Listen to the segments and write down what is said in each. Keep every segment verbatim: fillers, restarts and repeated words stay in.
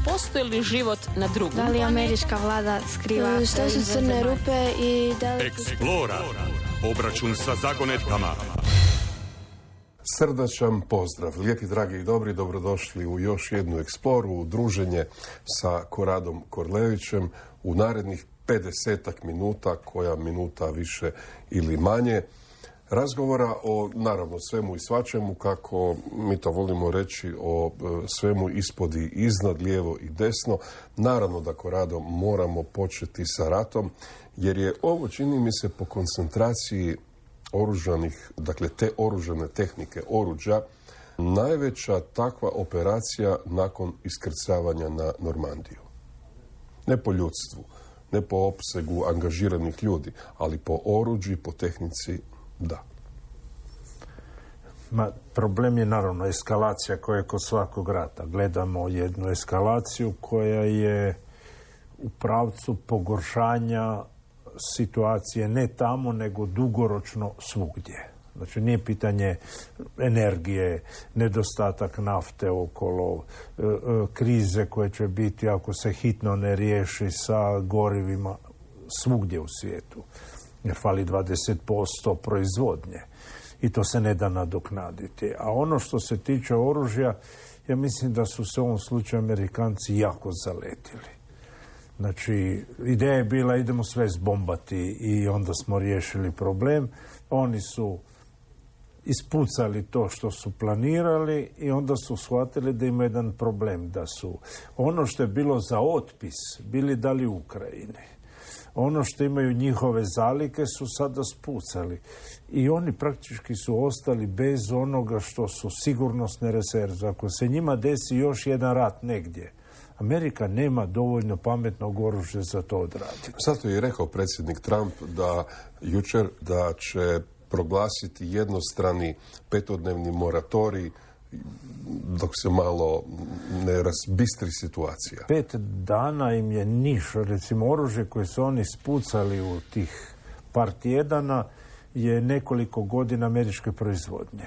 postoji li život na drugom? Da li američka vlada skriva? Što su crne rupe i da li... Eksplora. Obračun sa zagonetkama. Srdačan pozdrav, lijepi, dragi i dobri, dobrodošli u još jednu eksploru, u druženje sa Koradom Korlevićem u narednih pedesetak minuta, koja minuta više ili manje, razgovora o, naravno, svemu i svačemu, kako mi to volimo reći, o svemu ispod i iznad, lijevo i desno. Naravno da, Korado, moramo početi sa ratom, jer je ovo, čini mi se, po koncentraciji oružanih, dakle te oružane tehnike, oruđa, najveća takva operacija nakon iskrcavanja na Normandiju. Ne po ljudstvu, ne po opsegu angažiranih ljudi, ali po oruđu i po tehnici, da. Ma, problem je naravno eskalacija koja je kod svakog rata. Gledamo jednu eskalaciju koja je u pravcu pogoršanja situacije ne tamo, nego dugoročno svugdje. Znači, nije pitanje energije, nedostatak nafte okolo, e, e, krize koje će biti ako se hitno ne riješi sa gorivima svugdje u svijetu. Jer fali dvadeset posto proizvodnje i to se ne da nadoknaditi. A ono što se tiče oružja, ja mislim da su se u ovom slučaju Amerikanci jako zaletili. Znači, ideja je bila idemo sve zbombati i onda smo riješili problem. Oni su ispucali to što su planirali i onda su shvatili da ima jedan problem, da su ono što je bilo za otpis bili dali Ukrajini. Ono što imaju njihove zalike su sada spucali. I oni praktički su ostali bez onoga što su sigurnosne rezerve. Ako se njima desi još jedan rat negdje, Amerika nema dovoljno pametnog oružja za to odraditi. Zato je rekao predsjednik Trump da jučer da će proglasiti jednostrani petodnevni moratorij dok se malo ne razbistri situacija. Pet dana im je niš. Recimo, oružje koje su oni spucali u tih par tjedana je nekoliko godina američke proizvodnje.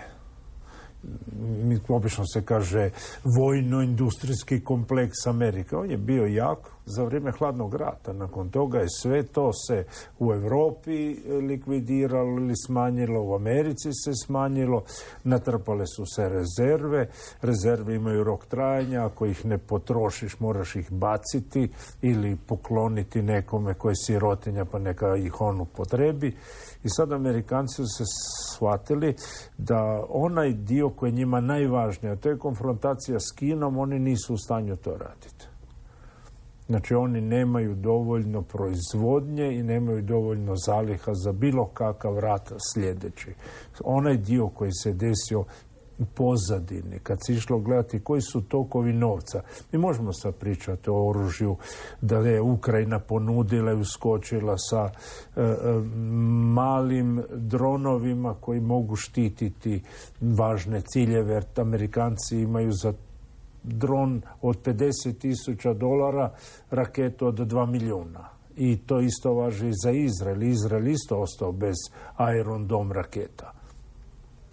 Obično se kaže vojno-industrijski kompleks Amerike. On je bio jak za vrijeme hladnog rata. Nakon toga je sve to se u Europi likvidiralo ili smanjilo, u Americi se smanjilo, natrpale su se rezerve. Rezerve imaju rok trajanja, ako ih ne potrošiš moraš ih baciti ili pokloniti nekome koji je sirotinja pa neka ih on upotrebi. I sad Amerikanci su se shvatili da onaj dio koji je njima najvažniji, a to je konfrontacija s Kinom, oni nisu u stanju to raditi. Znači, oni nemaju dovoljno proizvodnje i nemaju dovoljno zaliha za bilo kakav rat sljedeći. Onaj dio koji se desio u pozadini, kad se išlo gledati koji su tokovi novca. Mi možemo sad pričati o oružju da je Ukrajina ponudila i uskočila sa e, e, malim dronovima koji mogu štititi važne ciljeve, jer Amerikanci imaju za dron od pedeset tisuća dolara raketu od dva milijuna. I to isto važi i za Izrael. Izrael isto ostao bez Iron Dome raketa.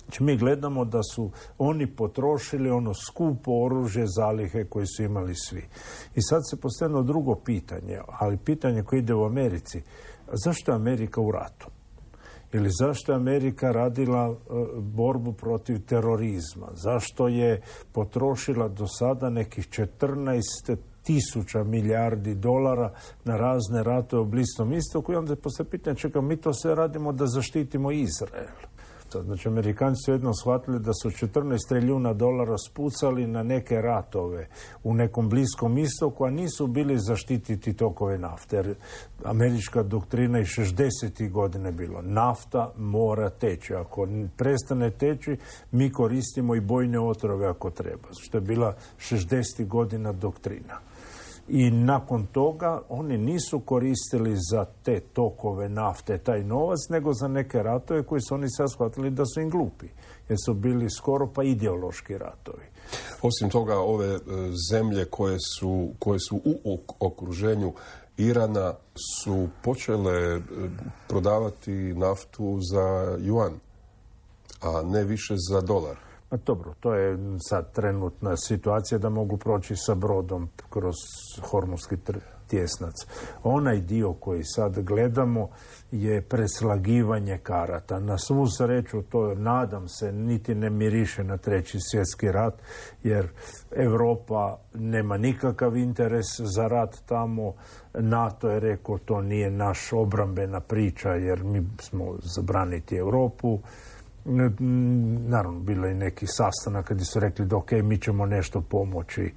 Znači, mi gledamo da su oni potrošili ono skupo oružje, zalihe koje su imali svi. I sad se postavilo drugo pitanje, ali pitanje koje ide u Americi. Zašto je Amerika u ratu? Ili zašto je Amerika radila uh, borbu protiv terorizma? Zašto je potrošila do sada nekih četrnaest tisuća milijardi dolara na razne ratove u Bliskom istoku? I onda se postavlja pitanje, čekaj, mi to sve radimo da zaštitimo Izrael. Znači, Amerikanci su jednom shvatili da su četrnaest trilijuna dolara spucali na neke ratove u nekom Bliskom istoku, a nisu bili zaštititi tokove nafte. Jer američka doktrina i šezdesetih godine bilo nafta mora teći. Ako prestane teći, mi koristimo i bojne otrove ako treba. Što je bila šezdesetih godina doktrina. I nakon toga oni nisu koristili za te tokove nafte taj novac, nego za neke ratove koji su oni sad shvatili da su im glupi. Jer su bili skoro pa ideološki ratovi. Osim toga, ove e, zemlje koje su, koje su u okruženju Irana su počele e, prodavati naftu za juan, a ne više za dolar. Pa dobro, to je sad trenutna situacija da mogu proći sa brodom kroz Hormuzski tjesnac. Onaj dio koji sad gledamo je preslagivanje karata. Na svu sreću, to nadam se, niti ne miriše na treći svjetski rat, jer Europa nema nikakav interes za rat tamo. NATO je rekao to nije naš obrambena priča jer mi smo zabraniti Europu. Naravno, bilo je neki sastanak kad su rekli da ok, mi ćemo nešto pomoći,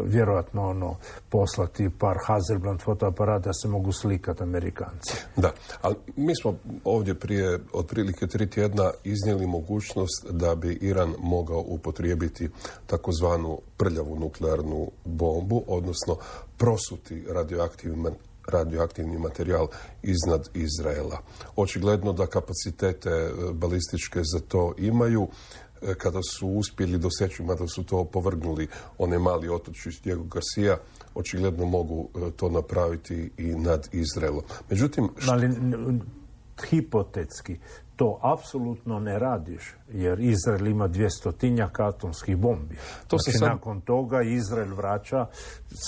vjerojatno ono, poslati par Hasselblad fotoaparata da se mogu slikati Amerikanci. Da, ali mi smo ovdje prije otprilike tri tjedna iznijeli mogućnost da bi Iran mogao upotrijebiti takozvanu prljavu nuklearnu bombu, odnosno prosuti radioaktivni radioaktivni materijal iznad Izraela. Očigledno da kapacitete balističke za to imaju. Kada su uspjeli doseći, mada su to opovrgnuli onaj mali otočić Diego Garcia, očigledno mogu to napraviti i nad Izraelom. Međutim, što... Ali hipotetski to apsolutno ne radiš, jer Izrael ima dvjestotinjak atomskih bombi. To znači, sam... nakon toga Izrael vraća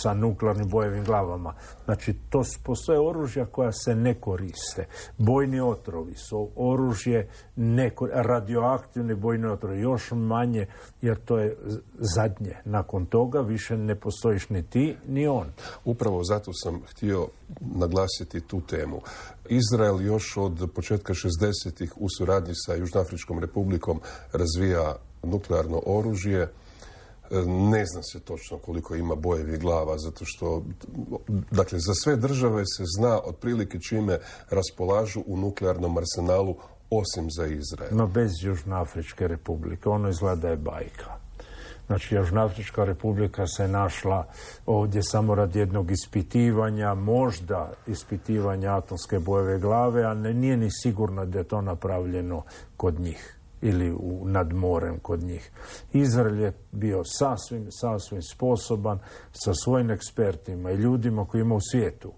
sa nuklearnim bojevim glavama. Znači, to postoje oružja koja se ne koriste. Bojni otrovi su oružje, neko, radioaktivni bojni otrovi, još manje, jer to je zadnje. Nakon toga više ne postojiš ni ti, ni on. Upravo zato sam htio naglasiti tu temu. Izrael još od početka šezdesetih u suradnji sa Južnoafričkom republikom razvija nuklearno oružje. Ne zna se točno koliko ima bojevih glava, zato što, dakle, za sve države se zna otprilike čime raspolažu u nuklearnom arsenalu, osim za Izrael. No bez Južnoafričke republike, ono izgleda je bajka. Znači, Južnoafrička republika se našla ovdje samo radi jednog ispitivanja, možda ispitivanja atomske bojeve glave, a ne, nije ni sigurno da je to napravljeno kod njih ili u, nad morem kod njih. Izrael je bio sasvim, sasvim sposoban sa svojim ekspertima i ljudima koji ima u svijetu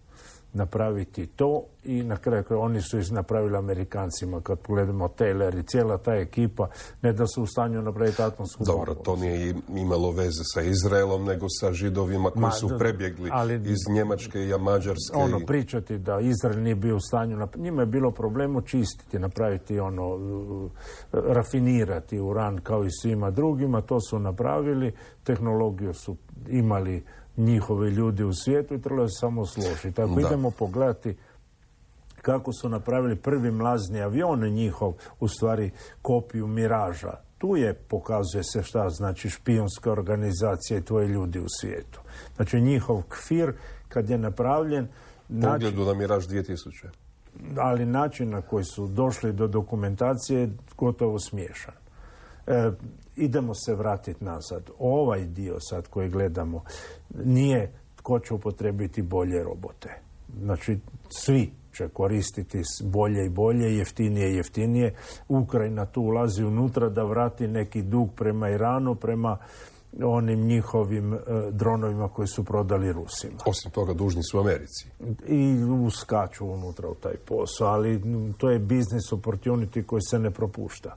napraviti to i na kraju kraju oni su napravili Amerikancima. Kad pogledamo Taylor i cijela ta ekipa, ne da su u stanju napraviti atomsku bombu. Dobro, to nije imalo veze sa Izraelom, nego sa Židovima koji Ma, su prebjegli ali, iz Njemačke i Mađarske. Ono, i... pričati da Izrael nije bio u stanju, nap... njima je bilo problem očistiti, napraviti ono, rafinirati uran kao i svima drugima, to su napravili, tehnologiju su imali njihovi ljudi u svijetu i trebalo se samo složiti. Ako da. idemo pogledati kako su napravili prvi mlazni avion njihov, u stvari kopiju Miraža. Tu je, pokazuje se šta znači špijunska organizacija i tvoji ljudi u svijetu. Znači njihov kfir kad je napravljen... Pogledu način, na Miraž dvije tisuće. Ali način na koji su došli do dokumentacije je gotovo smiješan. E, idemo se vratiti nazad. Ovaj dio sad koji gledamo nije tko će upotrebiti bolje robote. Znači, svi će koristiti bolje i bolje, jeftinije i jeftinije. Ukrajina tu ulazi unutra da vrati neki dug prema Iranu, prema onim njihovim e, dronovima koji su prodali Rusima. Osim toga, dužni su Americi. I uskaču unutra u taj posao, ali to je business opportunity koji se ne propušta.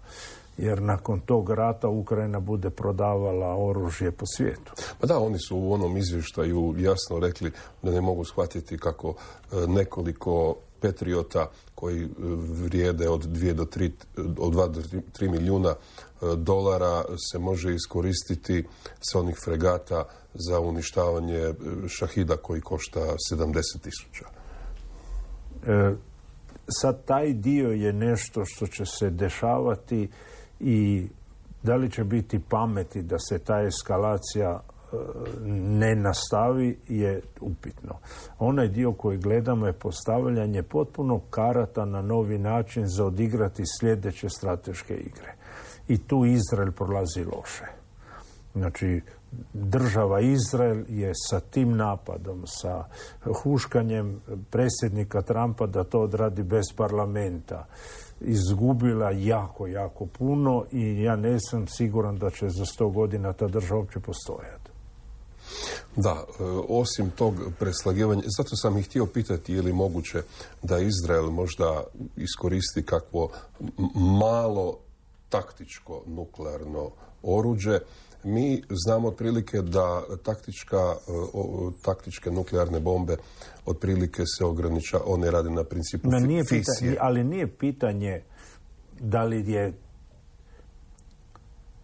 Jer nakon tog rata Ukrajina bude prodavala oružje po svijetu. Pa da, oni su u onom izvještaju jasno rekli da ne mogu shvatiti kako nekoliko Patriota koji vrijede od dva do tri milijuna dolara se može iskoristiti sa onih fregata za uništavanje Šahida koji košta sedamdeset tisuća. E, sad taj dio je nešto što će se dešavati i da li će biti pameti da se ta eskalacija e, ne nastavi je upitno. Onaj dio koji gledamo je postavljanje potpuno karata na novi način za odigrati sljedeće strateške igre. I tu Izrael prolazi loše. Znači, država Izrael je sa tim napadom, sa huškanjem predsjednika Trumpa da to odradi bez parlamenta, izgubila jako, jako puno i ja nisam siguran da će za sto godina ta država uopće postojati. Da, osim tog preslagivanja, zato sam ih htio pitati je li moguće da Izrael možda iskoristi kakvo malo taktičko nuklearno oruđe. Mi znamo otprilike da taktička, o, taktičke nuklearne bombe otprilike se ograniča, one rade na principu no, nije fisije. Pitanje, ali nije pitanje da li je...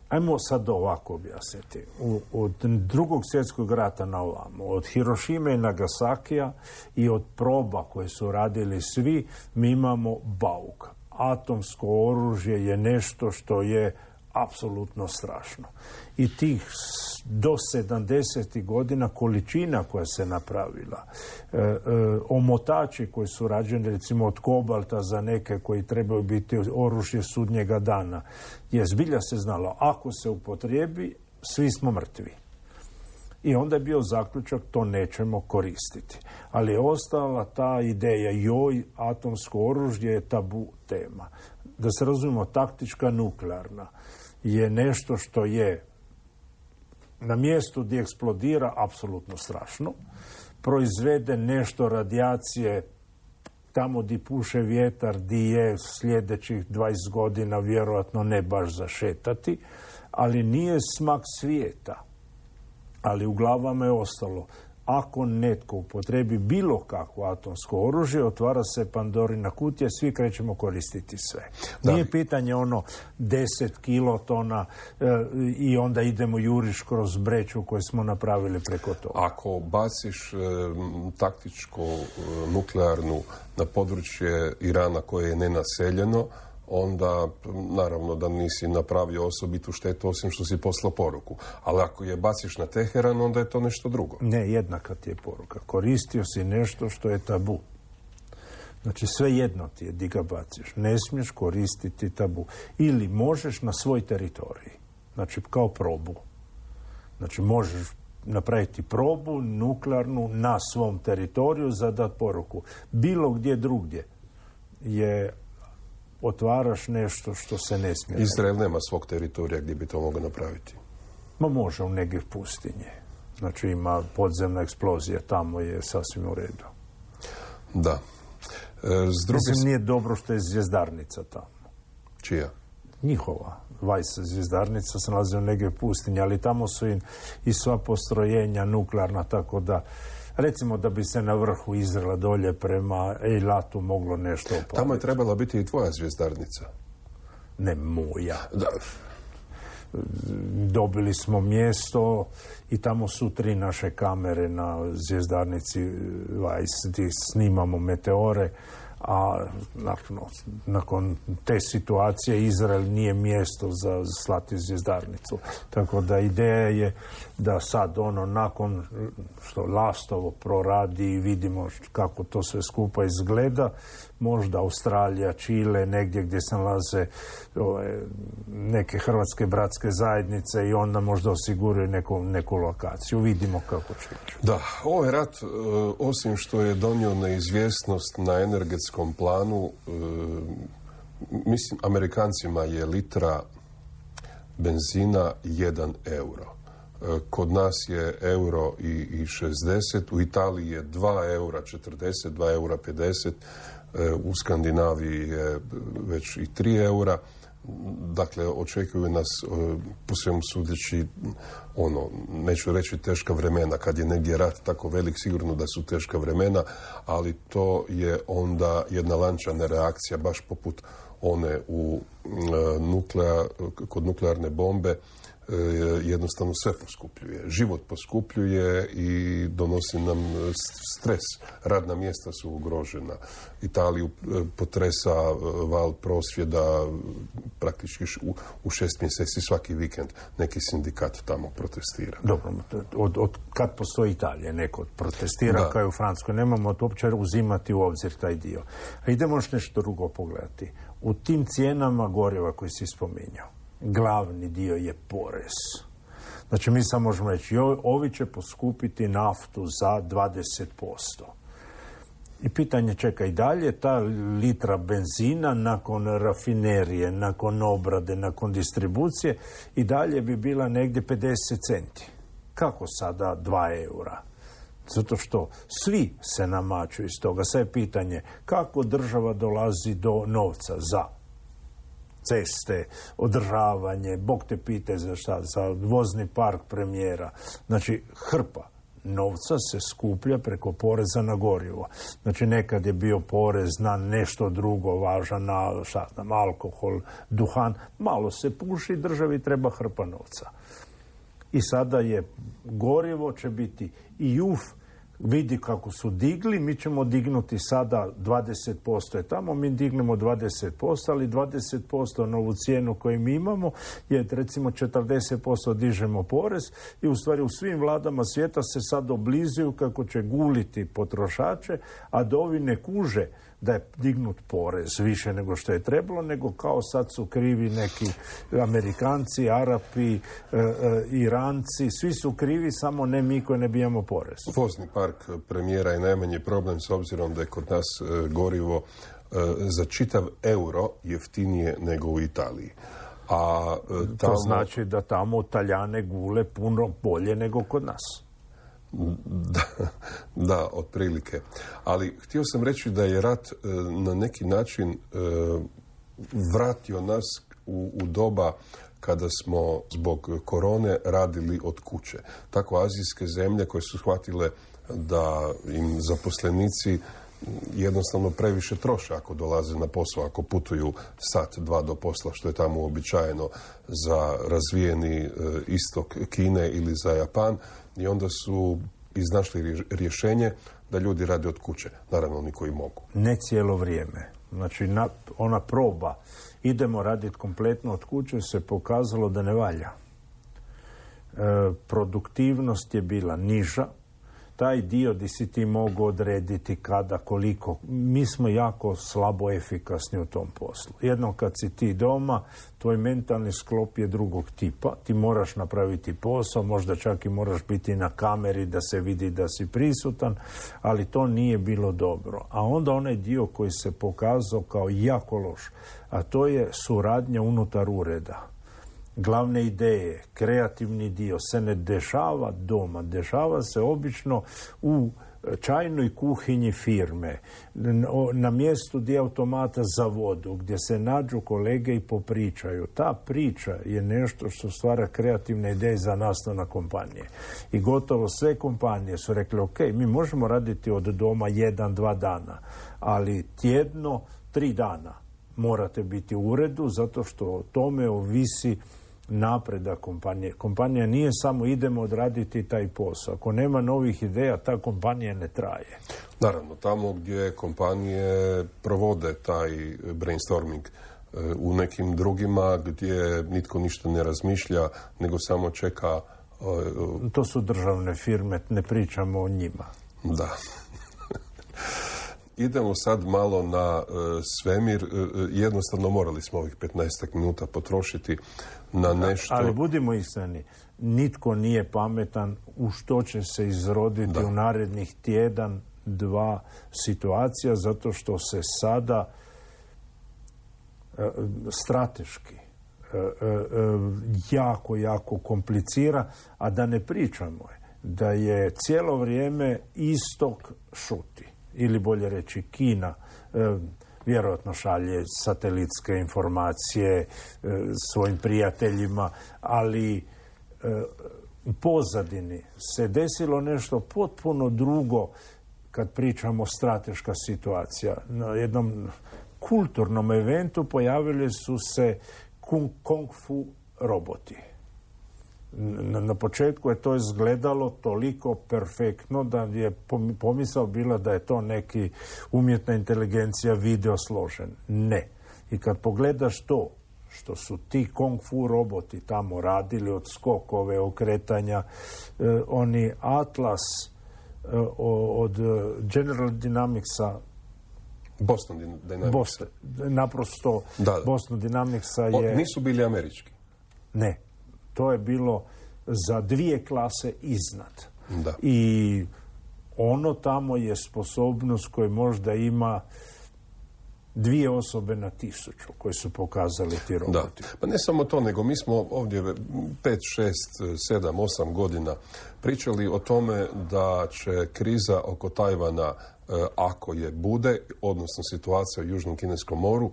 Ajmo sad ovako objasniti. U, od drugog svjetskog rata na ovamo, od Hirošime i Nagasakija i od proba koje su radili svi, mi imamo bauk. Atomsko oružje je nešto što je apsolutno strašno. I tih do sedamdesetih godina količina koja se napravila, e, e, omotači koji su rađeni recimo od kobalta za neke koji trebaju biti oružje sudnjega dana, je zbilja se znalo, ako se upotrijebi, svi smo mrtvi. I onda je bio zaključak, to nećemo koristiti. Ali je ostala ta ideja, joj, atomsko oružje je tabu tema. Da se razumijemo, taktička nuklearna je nešto što je na mjestu gdje eksplodira apsolutno strašno. Proizvede nešto radijacije tamo gdje puše vjetar, gdje je sljedećih dvadeset godina vjerojatno ne baš zašetati, ali nije smak svijeta. Ali u glavama je ostalo, ako netko upotrebi bilo kakvo atomsko oružje, otvara se Pandorina kutija, svi krećemo koristiti sve. Da. Nije pitanje ono deset kilotona e, i onda idemo juriš kroz breću koju smo napravili preko toga. Ako baciš e, taktičku e, nuklearnu na područje Irana koje je nenaseljeno, onda naravno da nisi napravio osobitu štetu osim što si poslao poruku. Ali ako je baciš na Teheran, onda je to nešto drugo. Ne, jednaka ti je poruka. Koristio si nešto što je tabu. Znači sve jedno ti je di ga baciš. Ne smiješ koristiti tabu. Ili možeš na svoj teritoriji. Znači kao probu. Znači možeš napraviti probu nuklearnu na svom teritoriju za dat poruku. Bilo gdje drugdje je otvaraš nešto što se ne smije. Izrael nema svog teritorija gdje bi to mogao napraviti. Ma može u negdje pustinje. Znači ima podzemna eksplozija, tamo je sasvim u redu. Da. E, s druge... Mislim, nije dobro što je zvjezdarnica tamo. Čija? Njihova. Vajs zvjezdarnica se nalazi u negdje pustinje, ali tamo su i, i sva postrojenja nuklearna, tako da recimo da bi se na vrhu Izraela dolje prema Eilatu moglo nešto opaliti. Tamo je trebala biti i tvoja zvjezdarnica. Ne moja. Da. Dobili smo mjesto i tamo su tri naše kamere na zvjezdarnici Vajs gdje snimamo meteore, a nakon, nakon te situacije Izrael nije mjesto za slati zvjezdarnicu. Tako da ideja je da sad ono nakon što Lastovo proradi i vidimo kako to sve skupa izgleda, možda Australija, Čile, negdje gdje se nalaze ove, neke hrvatske bratske zajednice i onda možda osiguraju neku, neku lokaciju. Vidimo kako će ići. Da, ovaj rat, osim što je donio neizvjesnost na energetskom planu, mislim, Amerikancima je litra benzina jedan euro. Kod nas je euro i, i šezdeset, u Italiji je dva eura četrdeset, dva eura pedeset, u Skandinaviji je već i tri eura. Dakle, očekuju nas po svemu sudeći ono, neću reći teška vremena. Kad je negdje rat tako velik, sigurno da su teška vremena, ali to je onda jedna lančana reakcija, baš poput one u nuklea, kod nuklearne bombe. Jednostavno sve poskupljuje. Život poskupljuje i donosi nam stres. Radna mjesta su ugrožena. Italiju potresa val prosvjeda praktički u, u šest mjeseci svaki vikend neki sindikat tamo protestira. Dobro, od, od kad postoji Italija neko protestira da. Kao i u Francuskoj. Nemamo to uopće uzimati u obzir taj dio. A idemo još nešto drugo pogledati. U tim cijenama goriva koji si spominjao, glavni dio je porez. Znači mi samo možemo reći, ovi će poskupiti naftu za dvadeset posto. I pitanje čeka i dalje, ta litra benzina nakon rafinerije, nakon obrade, nakon distribucije, i dalje bi bila negdje pedeset centi. Kako sada dva eura? Zato što svi se namaču iz toga. Sve je pitanje kako država dolazi do novca za ceste, održavanje, bog te pite za šta, za vozni park premijera. Znači, hrpa novca se skuplja preko poreza na gorivo. Znači, nekad je bio porez na nešto drugo važan, na šta znam, alkohol, duhan. Malo se puši, državi treba hrpa novca. I sada je gorivo će biti i juf, vidi kako su digli, mi ćemo dignuti sada dvadeset posto je tamo, mi dignemo dvadeset posto, ali dvadeset posto na ovu cijenu koju mi imamo je recimo četrdeset posto dižemo porez i u stvari u svim vladama svijeta se sad oblizuju kako će guliti potrošače, a da ovi ne kuže da je dignut porez više nego što je trebalo, nego kao sad su krivi neki Amerikanci, Arapi, e, e, Iranci, svi su krivi, samo ne mi koji ne bijemo porez. Vozni park premijera je najmanji problem s obzirom da je kod nas e, gorivo e, za čitav euro jeftinije nego u Italiji. A e, tamo... To znači da tamo Taljane gule puno bolje nego kod nas. Da, da, otprilike. Ali htio sam reći da je rat e, na neki način e, vratio nas u, u doba kada smo zbog korone radili od kuće. Tako azijske zemlje koje su shvatile da im zaposlenici jednostavno previše troše ako dolaze na posao, ako putuju sat, dva do posla, što je tamo uobičajeno za razvijeni e, istok Kine ili za Japan, i onda su iznašli rješenje da ljudi rade od kuće. Naravno, oni koji mogu. Ne cijelo vrijeme. Znači, na, ona proba idemo raditi kompletno od kuće se pokazalo da ne valja. E, produktivnost je bila niža. Taj dio gdje si ti mogu odrediti kada, koliko. Mi smo jako slabo efikasni u tom poslu. Jednom kad si ti doma, tvoj mentalni sklop je drugog tipa. Ti moraš napraviti posao, možda čak i moraš biti na kameri da se vidi da si prisutan, ali to nije bilo dobro. A onda onaj dio koji se pokazao kao jako loš, a to je suradnja unutar ureda. Glavne ideje, kreativni dio se ne dešava doma, dešava se obično u čajnoj kuhinji firme, na mjestu gdje automata za vodu, gdje se nađu kolege i popričaju. Ta priča je nešto što stvara kreativne ideje za nastanak kompanije. I gotovo sve kompanije su rekli, ok, mi možemo raditi od doma jedan, dva dana, ali tjedno, tri dana morate biti u uredu, zato što o tome ovisi napredak kompanije. Kompanija nije samo idemo odraditi taj posao. Ako nema novih ideja, ta kompanija ne traje. Naravno, tamo gdje kompanije provode taj brainstorming, u nekim drugima gdje nitko ništa ne razmišlja, nego samo čeka... To su državne firme, ne pričamo o njima. Da. Idemo sad malo na uh, svemir. Uh, jednostavno morali smo ovih petnaestak minuta potrošiti na nešto... Ali budimo iskreni, nitko nije pametan u što će se izroditi da. u narednih tjedan, dva situacija, zato što se sada uh, strateški uh, uh, jako, jako komplicira, a da ne pričamo da je cijelo vrijeme istok šuti. Ili bolje reći Kina e, vjerojatno šalje satelitske informacije e, svojim prijateljima, ali e, u pozadini se desilo nešto potpuno drugo kad pričamo strateška situacija. Na jednom kulturnom eventu pojavili su se kung, kung fu roboti. Na, na početku je to izgledalo toliko perfektno da je pomisao bila da je to neki umjetna inteligencija video složen. Ne. I kad pogledaš to što su ti kung fu roboti tamo radili od skokove, okretanja, eh, oni Atlas eh, od General Dynamicsa Boston Dynamics. Boston, naprosto da, da. Boston Dynamicsa je... O, nisu bili američki? Ne. To je bilo za dvije klase iznad. Da. I ono tamo je sposobnost koju možda ima dvije osobe na tisuću koje su pokazali ti roboti. Da. Pa ne samo to, nego mi smo ovdje pet, šest, sedam, osam godina pričali o tome da će kriza oko Tajvana, ako je bude, odnosno situacija u Južnom Kineskom moru,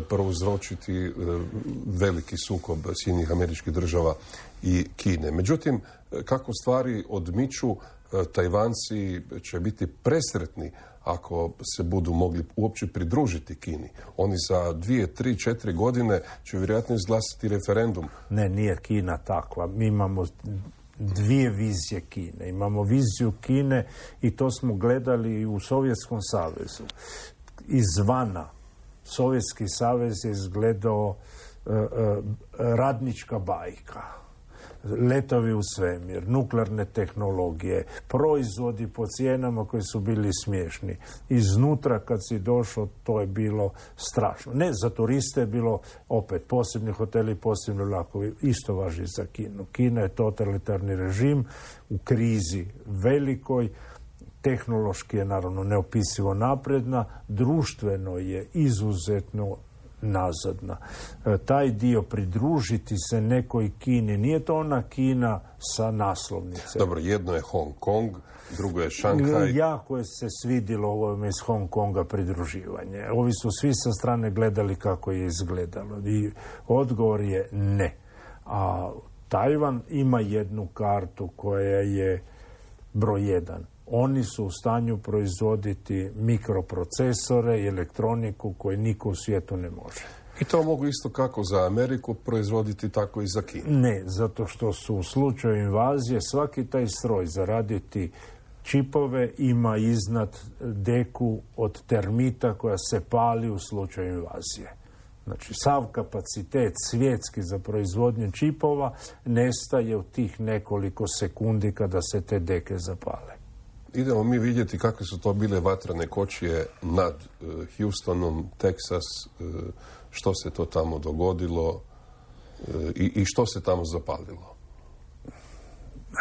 prouzročiti veliki sukob Sjedinjenih Američkih Država i Kine. Međutim, kako stvari odmiču, Tajvanci će biti presretni ako se budu mogli uopće pridružiti Kini. Oni za dvije, tri, četiri godine će vjerojatno izglasati referendum. Ne, nije Kina takva. Mi imamo dvije vizije Kine. Imamo viziju Kine i to smo gledali i u Sovjetskom savezu. Izvana Sovjetski savez je izgledao uh, uh, radnička bajka. Letovi u svemir, nuklearne tehnologije, proizvodi po cijenama koji su bili smiješni. Iznutra kad si došao, to je bilo strašno. Ne, za turiste je bilo opet posebni hoteli, posebni vlakovi. Isto važi za Kinu. Kina je totalitarni režim u krizi velikoj. Tehnološki je naravno neopisivo napredna, društveno je izuzetno nazadna. E, taj dio pridružiti se nekoj Kini, nije to ona Kina sa naslovnice. Dobro, jedno je Hong Kong, drugo je Šanghaj. Jako je se svidilo ovome iz Hong Konga pridruživanje. Ovi su svi sa strane gledali kako je izgledalo. I odgovor je ne. A Tajvan ima jednu kartu koja je broj jedan. Oni su u stanju proizvoditi mikroprocesore i elektroniku koju niko u svijetu ne može. I to mogu isto kako za Ameriku proizvoditi, tako i za Kinu. Ne, zato što su u slučaju invazije svaki taj stroj zaraditi čipove ima iznad deku od termita koja se pali u slučaju invazije. Znači, sav kapacitet svjetski za proizvodnju čipova nestaje u tih nekoliko sekundi kada se te deke zapale. Idemo mi vidjeti kakve su to bile vatrene kočije nad uh, Houstonom, Teksas, uh, što se to tamo dogodilo uh, i, i što se tamo zapalilo.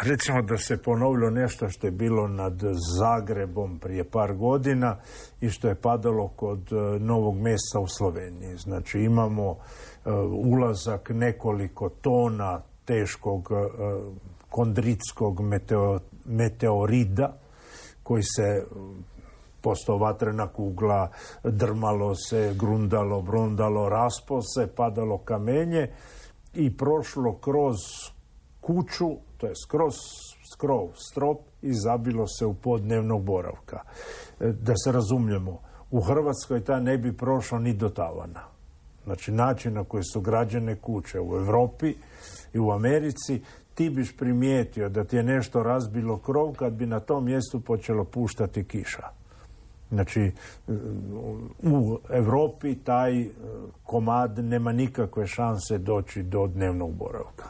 Recimo da se ponovilo nešto što je bilo nad Zagrebom prije par godina i što je padalo kod uh, Novog Mesta u Sloveniji. Znači imamo uh, ulazak nekoliko tona teškog uh, kondritskog meteo, meteorida koji se postao vatrena kugla, drmalo se, grundalo, brundalo, raspo se, padalo kamenje i prošlo kroz kuću, to je skroz skrov, strop i zabilo se u pod dnevnog boravka. Da se razumijemo, u Hrvatskoj ta ne bi prošlo ni do tavana. Znači način na koji su građene kuće u Europi i u Americi, ti biš primijetio da ti je nešto razbilo krov kad bi na tom mjestu počelo puštati kiša. Znači, u Europi taj komad nema nikakve šanse doći do dnevnog boravka.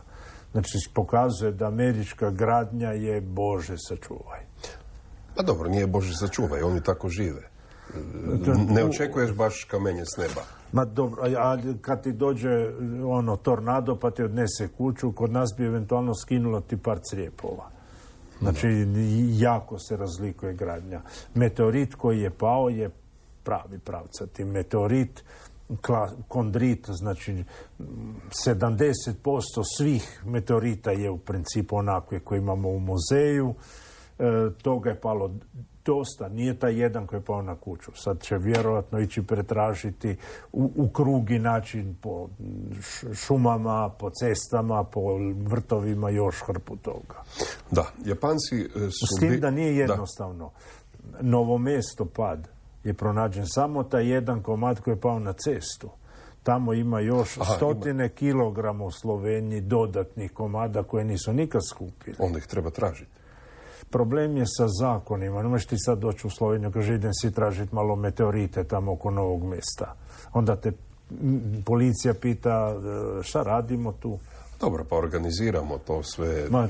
Znači, pokazuje da američka gradnja je Bože sačuvaj. Pa dobro, nije Bože sačuvaj, oni tako žive. Ne očekuješ baš kamenje s neba. Ma dobro, a kad ti dođe ono tornado pa ti odnese kuću, kod nas bi eventualno skinulo ti par crijepova. Znači, jako se razlikuje gradnja. Meteorit koji je pao je pravi pravcati. Meteorit, kondrit, znači sedamdeset posto svih meteorita je u principu onakve koje imamo u muzeju. E, toga je palo dosta, nije taj jedan koji je pao na kuću. Sad će vjerojatno ići pretražiti u, u krugi način po šumama, po cestama, po vrtovima, još hrpu toga. Da, Japanci su... S tim da nije jednostavno. Da. Novo Mesto pad je pronađen samo taj jedan komad koji je pao na cestu. Tamo ima još Aha, stotine ima. kilograma u Sloveniji dodatnih komada koje nisu nikad skupili. Onda ih treba tražiti. Problem je sa zakonima. Ne možeš ti sad doći u Sloveniju, kaže idem si tražiti malo meteorite tamo oko Novog Mesta. Onda te policija pita šta radimo tu. Dobro, pa organiziramo to sve. Ma,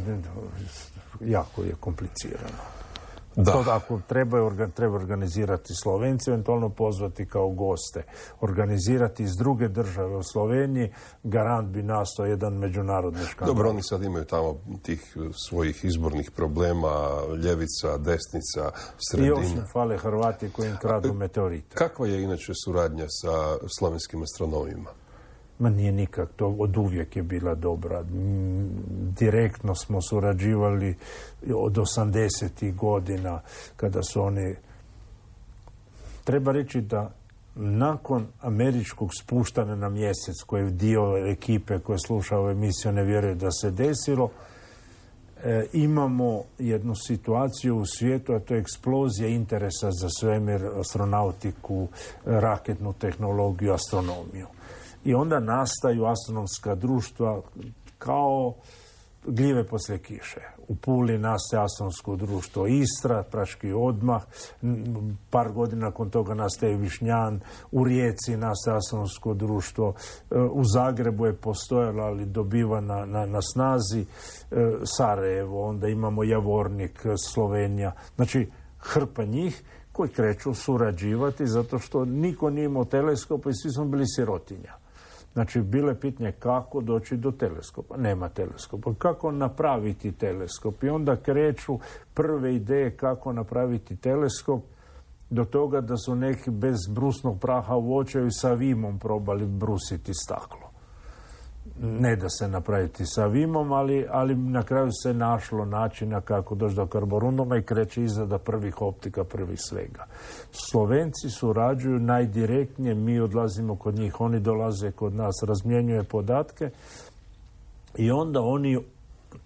jako je komplicirano. Da. To ako treba, treba organizirati Slovenci, eventualno pozvati kao goste. Organizirati iz druge države u Sloveniji, garant bi nastao jedan međunarodni škandal. Dobro, oni sad imaju tamo tih svojih izbornih problema, ljevica, desnica, sredina. I još ne fale Hrvati koji im kradu meteorite. Kakva je inače suradnja sa slovenskim astronomima? Ma nije nikak, to od uvijek je bila dobra. Direktno smo surađivali od osamdesetih godina kada su oni... Treba reći da nakon američkog spuštanja na mjesec, koji je dio ekipe koje sluša ove emisije ne vjeruje da se desilo, e, imamo jednu situaciju u svijetu, a to je eksplozija interesa za svemir, astronautiku, raketnu tehnologiju, astronomiju. I onda nastaju astronomska društva kao gljive poslije kiše. U Puli nastaje astronomsko društvo Istra, praški odmah, par godina nakon toga nastaje Višnjan, u Rijeci nastaje astronomsko društvo, u Zagrebu je postojalo, ali dobiva na, na, na snazi, Sarajevo, onda imamo Javornik, Slovenija, znači hrpa njih koji kreću surađivati zato što niko nije imao teleskopa i svi smo bili sirotinja. Znači, bilo je pitanje kako doći do teleskopa. Nema teleskopa. Kako napraviti teleskop? I onda kreću prve ideje kako napraviti teleskop do toga da su neki bez brusnog praha u očaju sa vimom probali brusiti staklo. Ne da se napraviti sa vimom, ali, ali na kraju se našlo načina kako doći do karborunduma i kreće izrada prvih optika, prvih svega. Slovenci surađuju najdirektnije, mi odlazimo kod njih, oni dolaze kod nas, razmjenjuje podatke i onda oni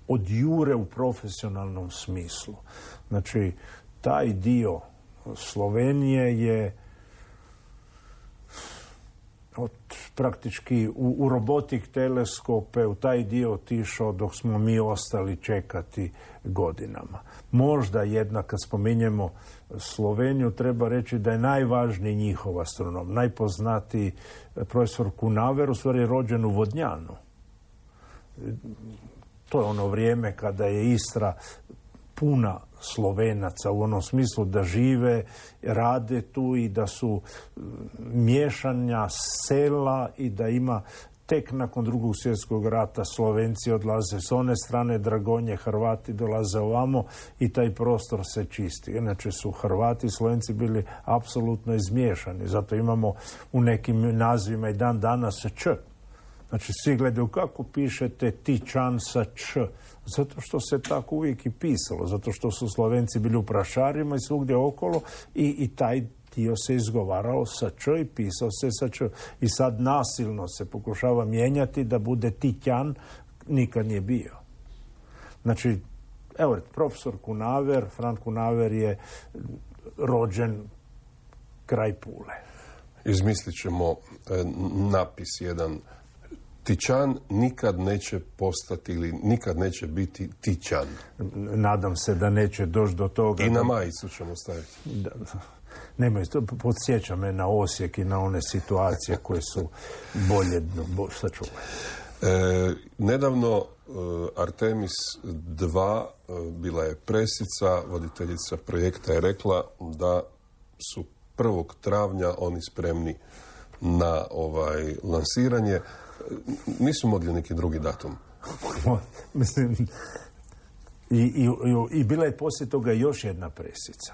odjure u profesionalnom smislu. Znači, taj dio Slovenije je od praktički u, u robotik teleskope, u taj dio otišao dok smo mi ostali čekati godinama. Možda jedna, kad spominjemo Sloveniju, treba reći da je najvažniji njihov astronom, najpoznatiji profesor Kunaver, u stvari rođen u Vodnjanu. To je ono vrijeme kada je Istra puna Slovenaca u onom smislu da žive, rade tu i da su miješanja sela i da ima tek nakon drugog svjetskog rata Slovenci odlaze s one strane Dragonje, Hrvati dolaze ovamo i taj prostor se čisti. Inače su Hrvati i Slovenci bili apsolutno izmiješani. Zato imamo u nekim nazivima i dan danas Č. Znači, svi gledaju kako pišete Tičan sa Č. Zato što se tako uvijek i pisalo. Zato što su Slovenci bili u prašarima i svugdje okolo i, i taj dio se izgovarao sa Č i pisao se sa Č. I sad nasilno se pokušava mijenjati da bude Tićan, nikad nije bio. Znači, evo, profesor Kunaver, Fran Kunaver je rođen kraj Pule. Izmislit ćemo e, napis jedan. Tićan nikad neće postati ili nikad neće biti Tićan. Nadam se da neće doći do toga. I na da... majicu ćemo staviti. Da, nemoj, to podsjeća me na Osijek i na one situacije koje su bolje bo, sačuvane. E, nedavno e, Artemis dva e, bila je presica, voditeljica projekta je rekla da su prvog travnja oni spremni na ovaj lansiranje. Nisu mogli neki drugi datum. Mislim, i, i, i bila je poslije toga još jedna presica.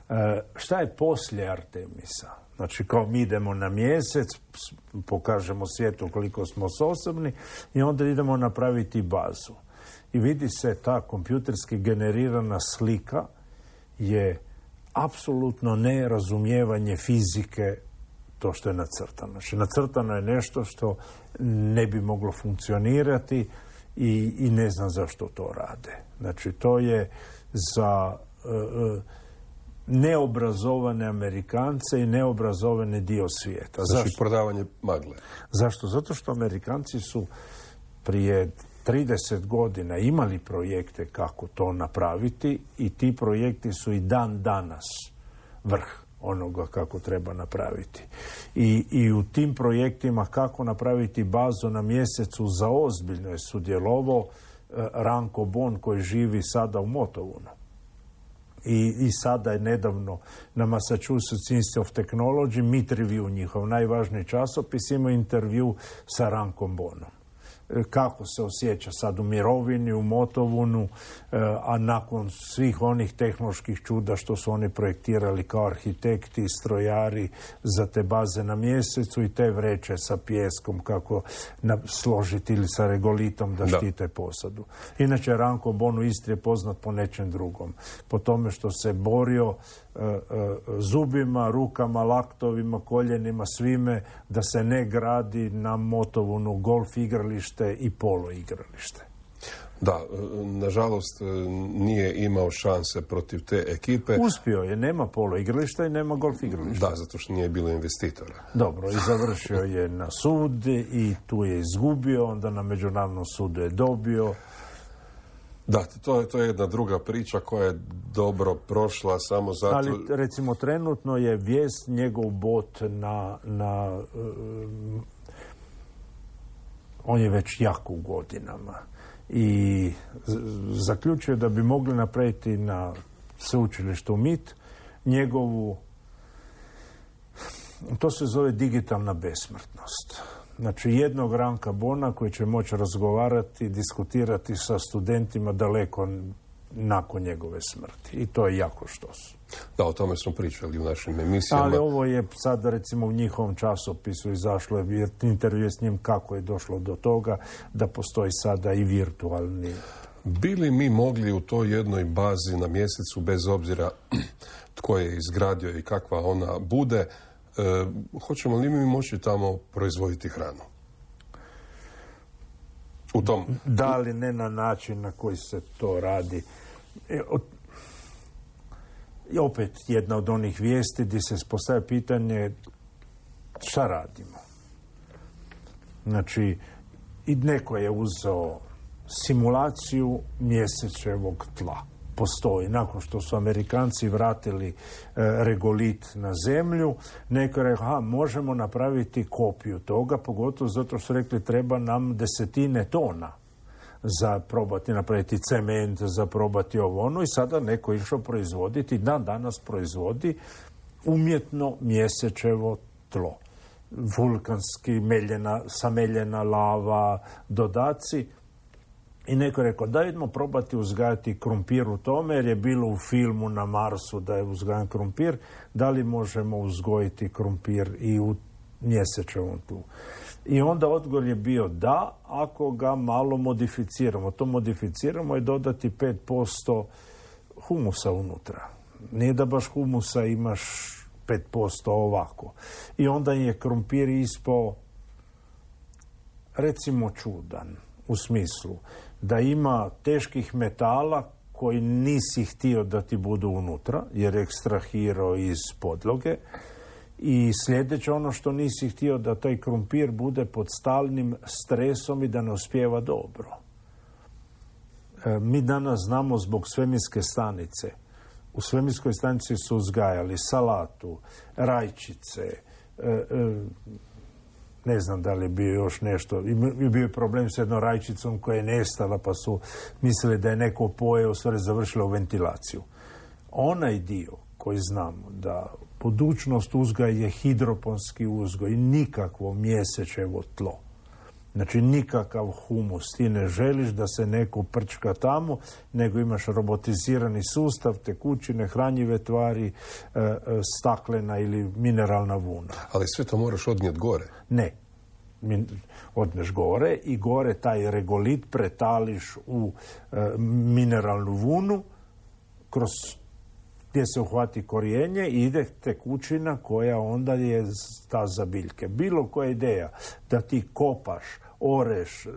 E, šta je poslije Artemisa? Znači, kao mi idemo na mjesec, pokažemo svijetu koliko smo sposobni i onda idemo napraviti bazu. I vidi se ta kompjuterski generirana slika je apsolutno nerazumijevanje fizike to što je nacrtano. Znači, nacrtano je nešto što ne bi moglo funkcionirati i, i ne znam zašto to rade. Znači, to je za uh, neobrazovane Amerikance i neobrazovane dio svijeta. Znači, zašto? prodavanje magle. Zašto? Zato što Amerikanci su prije trideset godina imali projekte kako to napraviti i ti projekti su i dan danas vrh onoga kako treba napraviti. I, i u tim projektima kako napraviti bazu na mjesecu za ozbiljno je sudjelovao eh, Ranko Bon koji živi sada u Motovunu. I, I sada je nedavno na Massachusetts Institute of Technology Meet Review, njihov najvažniji časopis, imao intervju sa Rankom Bonom. kako se osjeća sad u mirovini, u Motovunu, a nakon svih onih tehnoloških čuda što su oni projektirali kao arhitekti i strojari za te baze na Mjesecu i te vreće sa pijeskom kako složiti ili sa regolitom da, da štite posadu. Inače, Ranko Bon u Istri je poznat po nečem drugom. Po tome što se borio e, e, zubima, rukama, laktovima, koljenima, svime da se ne gradi na Motovunu golf igralište i polo igralište. Da, nažalost nije imao šanse protiv te ekipe. Uspio je, nema polo igrališta i nema golf igrališta. Da, zato što nije bilo investitora. Dobro, i završio je na sud i tu je izgubio, onda na međunarodnom sudu je dobio. Da, to je, to je jedna druga priča koja je dobro prošla samo zato... Ali recimo trenutno je vijest njegov bot na... na um, on je već jako u godinama. I zaključio da bi mogli napraviti na sveučilištu M I T njegovu, to se zove digitalna besmrtnost. Znači jednog Ranka Bona koji će moći razgovarati, diskutirati sa studentima daleko nakon njegove smrti. I to je jako štos. Da, o tome smo pričali u našim emisijama. Ali ovo je sad recimo u njihovom časopisu izašlo je intervju s njim kako je došlo do toga da postoji sada i virtualni. Bi li mi mogli u toj jednoj bazi na Mjesecu, bez obzira tko je izgradio i kakva ona bude, e, hoćemo li mi moći tamo proizvoditi hranu? U tom... Da li ne na način na koji se to radi. E, od... I opet jedna od onih vijesti gdje se postavlja pitanje šta radimo. Znači, i neko je uzeo simulaciju mjesečevog tla. Postoji. Nakon što su Amerikanci vratili e, regolit na zemlju, neko je rekao, aha, možemo napraviti kopiju toga, pogotovo zato što su rekli treba nam desetine tona za probati napraviti cement, za probati ovo ono i sada neko je išao proizvoditi, dan danas proizvodi umjetno mjesečevo tlo. Vulkanski, meljena, sameljena lava, dodaci. I neko je rekao, da idemo probati uzgajati krumpir u tome, jer je bilo u filmu na Marsu da je uzgajan krumpir, da li možemo uzgojiti krumpir i u mjesečevom tlu. I onda odgovor je bio da, ako ga malo modificiramo. To modificiramo je dodati pet posto humusa unutra. Nije da baš humusa imaš pet posto ovako. I onda je krumpir ispao, recimo, čudan. U smislu da ima teških metala koji nisi htio da ti budu unutra, jer je ekstrahirao iz podloge. I sljedeće, ono što nisi htio da taj krumpir bude pod stalnim stresom i da ne uspijeva dobro. E, mi danas znamo zbog svemirske stanice. U svemirskoj stanici su uzgajali salatu, rajčice, e, e, ne znam da li je bio još nešto. I bio je problem s jednom rajčicom koja je nestala, pa su mislili da je neko pojeo, sve završilo u ventilaciju. Onaj dio koji znamo da budućnost uzgoja je hidroponski uzgoj, nikakvo mjesečevo tlo. Znači nikakav humus. Ti ne želiš da se neko prčka tamo, nego imaš robotizirani sustav, tekućine, hranjive tvari, staklena ili mineralna vuna. Ali sve to moraš odnijeti gore. Ne. Odneš gore i gore taj regolit pretališ u mineralnu vunu kroz gdje se uhvati korijenje i ide tekućina koja onda je ta za biljke. Bilo koja ideja da ti kopaš, oreš,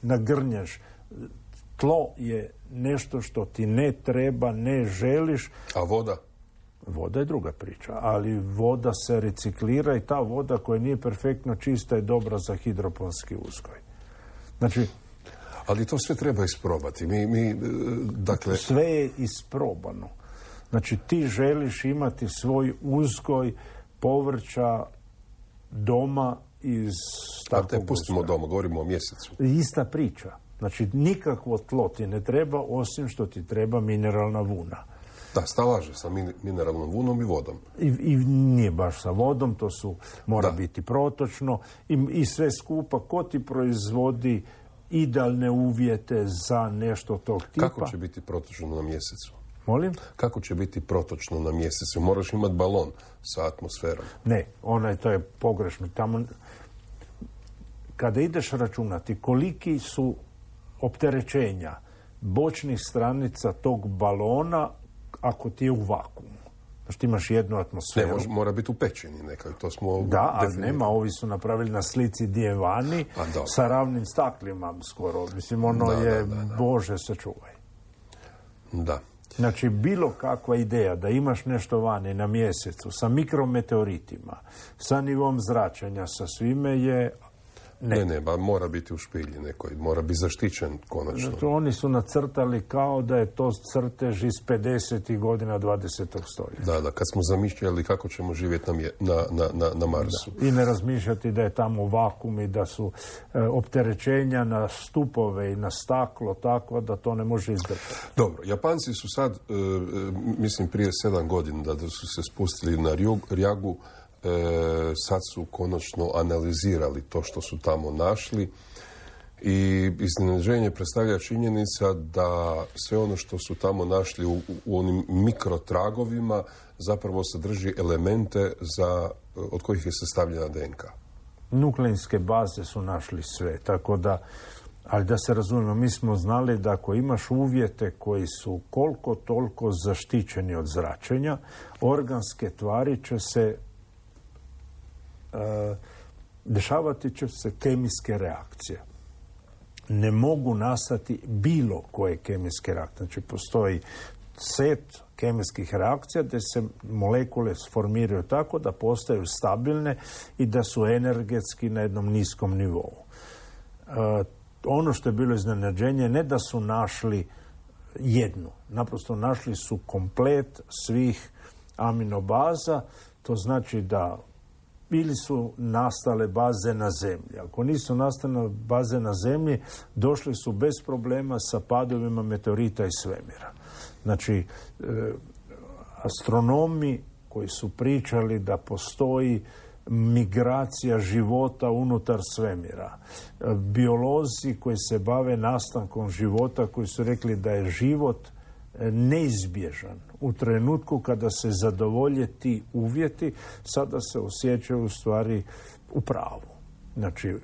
nagrnješ, tlo je nešto što ti ne treba, ne želiš. A voda? Voda je druga priča, ali voda se reciklira i ta voda koja nije perfektno čista je dobra za hidroponski uzgoj. Znači, ali to sve treba isprobati. Mi, mi, dakle... Sve je isprobano. Znači, ti želiš imati svoj uzgoj povrća doma iz takvog uzgoja. A te pustimo doma, govorimo o mjesecu. Ista priča. Znači, nikakvo tlo ti ne treba, osim što ti treba mineralna vuna. Da, stalaže sa mineralnom vunom i vodom. I, i nije baš sa vodom, to su, mora da. biti protočno i, i sve skupa. Ko ti proizvodi idealne uvjete za nešto tog tipa? Kako će biti protočno na mjesecu? Molim? Kako će biti protočno na mjesecu? Moraš imati balon sa atmosferom. Ne, onaj, to je pogrešno. Tamo, kada ideš računati koliki su opterećenja bočnih stranica tog balona ako ti je u vakuumu. Znači ti imaš jednu atmosferu. Ne, može, mora biti u pećini nekaj. To smo da, ali nema, ovi su napravili na slici gdje vani sa ravnim staklima skoro. Mislim, ono da, je, da, da, da. Bože sačuvaj. Da. Znači, bilo kakva ideja da imaš nešto vani na mjesecu sa mikrometeoritima, sa nivom zračenja, sa svime je... Ne, ne, ne ba, mora biti u špilji nekoj, mora biti zaštićen konačno. Zato oni su nacrtali kao da je to crtež iz pedesetih godina dvadesetog stoljeća. Da, da, kad smo zamišljali kako ćemo živjeti na, na, na, na, na Marsu. Da. I ne razmišljati da je tamo vakuum i da su e, opterećenja na stupove i na staklo takva da to ne može izdržati. Dobro, Japanci su sad, e, mislim prije sedam godina da su se spustili na Rjagu. E, sad su konačno analizirali to što su tamo našli i iznenađenje predstavlja činjenica da sve ono što su tamo našli u, u onim mikrotragovima zapravo sadrži elemente za, od kojih je sastavljena D N K. Nukleinske baze su našli sve, tako da, ali da se razumijemo, mi smo znali da ako imaš uvjete koji su koliko toliko zaštićeni od zračenja, organske tvari će se Uh, dešavati će se kemijske reakcije. Ne mogu nastati bilo koje kemijske reakcije. Znači, postoji set kemijskih reakcija gdje se molekule sformiraju tako da postaju stabilne i da su energetski na jednom niskom nivou. Uh, ono što je bilo iznenađenje, ne da su našli jednu. Naprosto našli su komplet svih aminobaza. To znači da ili su nastale baze na zemlji. Ako nisu nastale baze na zemlji, došli su bez problema sa padovima meteorita iz svemira. Znači, e, astronomi koji su pričali da postoji migracija života unutar svemira, e, biolozi koji se bave nastankom života, koji su rekli da je život neizbježan u trenutku kada se zadovolje ti uvjeti, sada se osjećaju u stvari u pravu. Znači,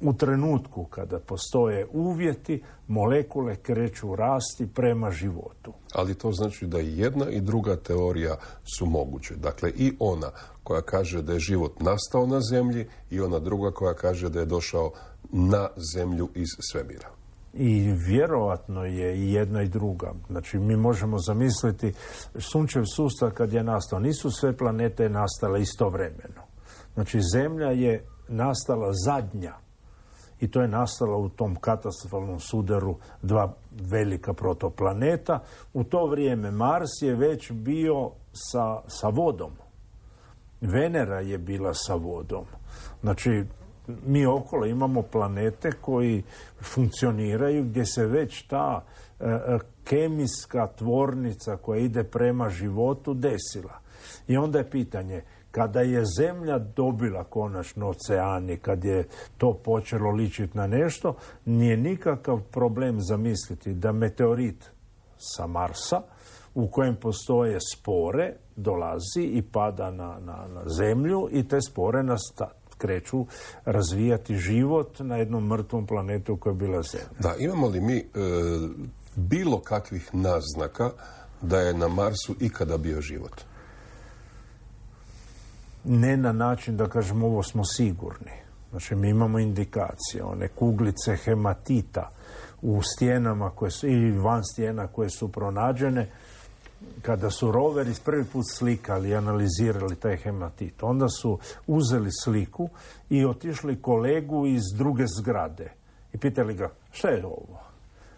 u trenutku kada postoje uvjeti, molekule kreću rasti prema životu. Ali to znači da i jedna i druga teorija su moguće. Dakle, i ona koja kaže da je život nastao na zemlji i ona druga koja kaže da je došao na zemlju iz svemira. I vjerojatno je i jedna i druga. Znači, mi možemo zamisliti sunčev sustav kad je nastao. Nisu sve planete nastale istovremeno. Znači, Zemlja je nastala zadnja. I to je nastala u tom katastrofalnom sudaru dva velika protoplaneta. U to vrijeme Mars je već bio sa, sa vodom. Venera je bila sa vodom. Znači, mi okolo imamo planete koji funkcioniraju gdje se već ta e, kemijska tvornica koja ide prema životu desila. I onda je pitanje, kada je Zemlja dobila konačno oceani, kad je to počelo ličiti na nešto, nije nikakav problem zamisliti da meteorit sa Marsa, u kojem postoje spore, dolazi i pada na, na, na Zemlju i te spore nastati. Kreću razvijati život na jednom mrtvom planetu koja je bila Zemlja. Da, imamo li mi e, bilo kakvih naznaka da je na Marsu ikada bio život? Ne na način da kažemo ovo smo sigurni. Znači, mi imamo indikacije, one kuglice hematita u stijenama koje su, ili van stijena koje su pronađene. Kada su roveri prvi put slikali i analizirali taj hematit, onda su uzeli sliku i otišli kolegu iz druge zgrade i pitali ga, šta je ovo?